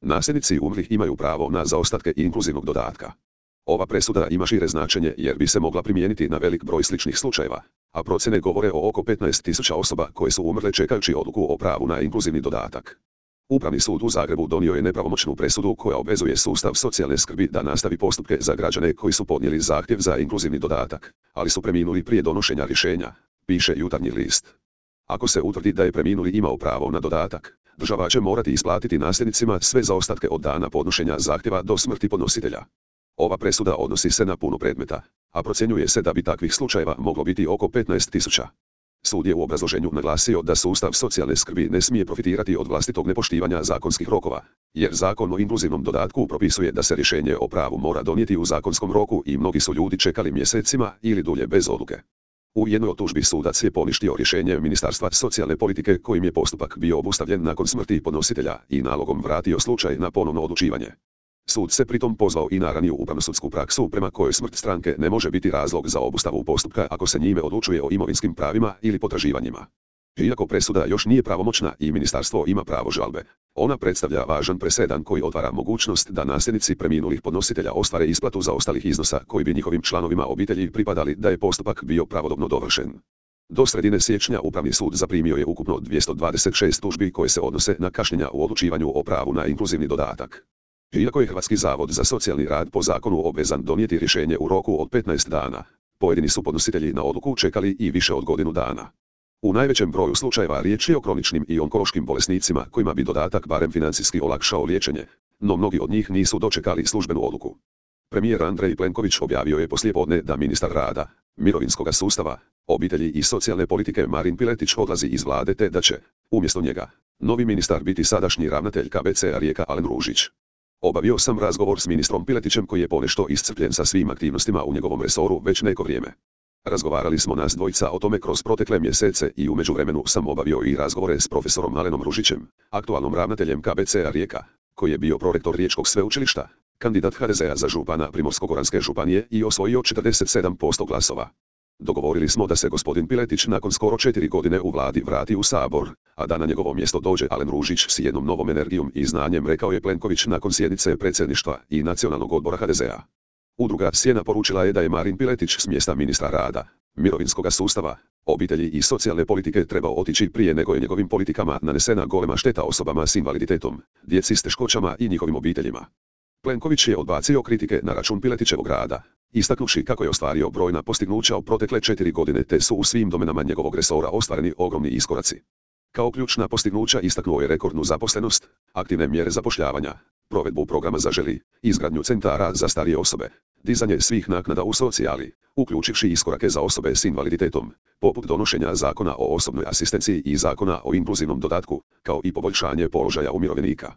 Nasljednici umrlih imaju pravo na zaostatke inkluzivnog dodatka. Ova presuda ima šire značenje jer bi se mogla primijeniti na velik broj sličnih slučajeva, a procjene govore o oko 15.000 osoba koje su umrle čekajući odluku o pravu na inkluzivni dodatak. Upravni sud u Zagrebu donio je nepravomoćnu presudu koja obvezuje sustav socijalne skrbi da nastavi postupke za građane koji su podnijeli zahtjev za inkluzivni dodatak, ali su preminuli prije donošenja rješenja, piše Jutarnji list. Ako se utvrdi da je preminuli imao pravo na dodatak, država će morati isplatiti nasljednicima sve zaostatke od dana podnošenja zahtjeva do smrti podnositelja. Ova presuda odnosi se na puno predmeta, a procjenjuje se da bi takvih slučajeva moglo biti oko 15.000. Sud je u obrazloženju naglasio da sustav socijalne skrbi ne smije profitirati od vlastitog nepoštivanja zakonskih rokova, jer Zakon o inkluzivnom dodatku propisuje da se rješenje o pravu mora donijeti u zakonskom roku i mnogi su ljudi čekali mjesecima ili dulje bez odluke. U jednoj od tužbi sudac je poništio rješenje Ministarstva socijalne politike kojim je postupak bio obustavljen nakon smrti podnositelja i nalogom vratio slučaj na ponovno odlučivanje. Sud se pritom pozvao i na raniju upravno-sudsku praksu prema kojoj smrt stranke ne može biti razlog za obustavu postupka ako se njime odlučuje o imovinskim pravima ili potraživanjima. Iako presuda još nije pravomoćna i ministarstvo ima pravo žalbe, ona predstavlja važan presedan koji otvara mogućnost da nasljednici preminulih podnositelja ostvare isplatu zaostalih iznosa koji bi njihovim članovima obitelji pripadali da je postupak bio pravodobno dovršen. Do sredine siječnja Upravni sud zaprimio je ukupno 226 tužbi koje se odnose na kašnjenja u odlučivanju o pravu na inkluzivni dodatak. Iako je Hrvatski zavod za socijalni rad po zakonu obvezan donijeti rješenje u roku od 15 dana, pojedini su podnositelji na odluku čekali i više od godinu dana. U najvećem broju slučajeva riječ je o kroničnim i onkološkim bolesnicima kojima bi dodatak barem financijski olakšao liječenje, no mnogi od njih nisu dočekali službenu odluku. Premijer Andrej Plenković objavio je poslijepodne da ministar rada, mirovinskog sustava, obitelji i socijalne politike Marin Piletić odlazi iz vlade te da će, umjesto njega, novi ministar biti sadašnji ravnatelj KBC-a Rijeka Alen Ružić. Obavio sam razgovor s ministrom Piletićem koji je ponešto iscrpljen sa svim aktivnostima u njegovom resoru već neko vrijeme. Razgovarali smo nas dvojica o tome kroz protekle mjesece i u međuvremenu sam obavio i razgovore s profesorom Alenom Ružićem, aktualnom ravnateljem KBC-a Rijeka, koji je bio prorektor Riječkog sveučilišta, kandidat HDZ-a za župana Primorsko-goranske županije i osvojio 47% glasova. Dogovorili smo da se gospodin Piletić nakon skoro 4 godine u vladi vrati u Sabor, a da na njegovo mjesto dođe Alen Ružić s jednom novom energijom i znanjem, rekao je Plenković nakon sjednice predsjedništva i Nacionalnog odbora HDZ-a. Udruga Sjena poručila je da je Marin Piletić s mjesta ministra rada, mirovinskog sustava, obitelji i socijalne politike trebao otići prije nego je njegovim politikama nanesena golema šteta osobama s invaliditetom, djeci s teškoćama i njihovim obiteljima. Plenković je odbacio kritike na račun Piletićevog rada, istaknuvši kako je ostvario brojna postignuća u protekle 4 godine te su u svim domenama njegovog resora ostvareni ogromni iskoraci. Kao ključna postignuća istaknuo je rekordnu zaposlenost, aktivne mjere zapošljavanja, provedbu programa Zaželi, izgradnju centara za starije osobe, dizanje svih naknada u socijali, uključivši iskorake za osobe s invaliditetom, poput donošenja Zakona o osobnoj asistenciji i Zakona o inkluzivnom dodatku, kao i poboljšanje položaja umirovljenika.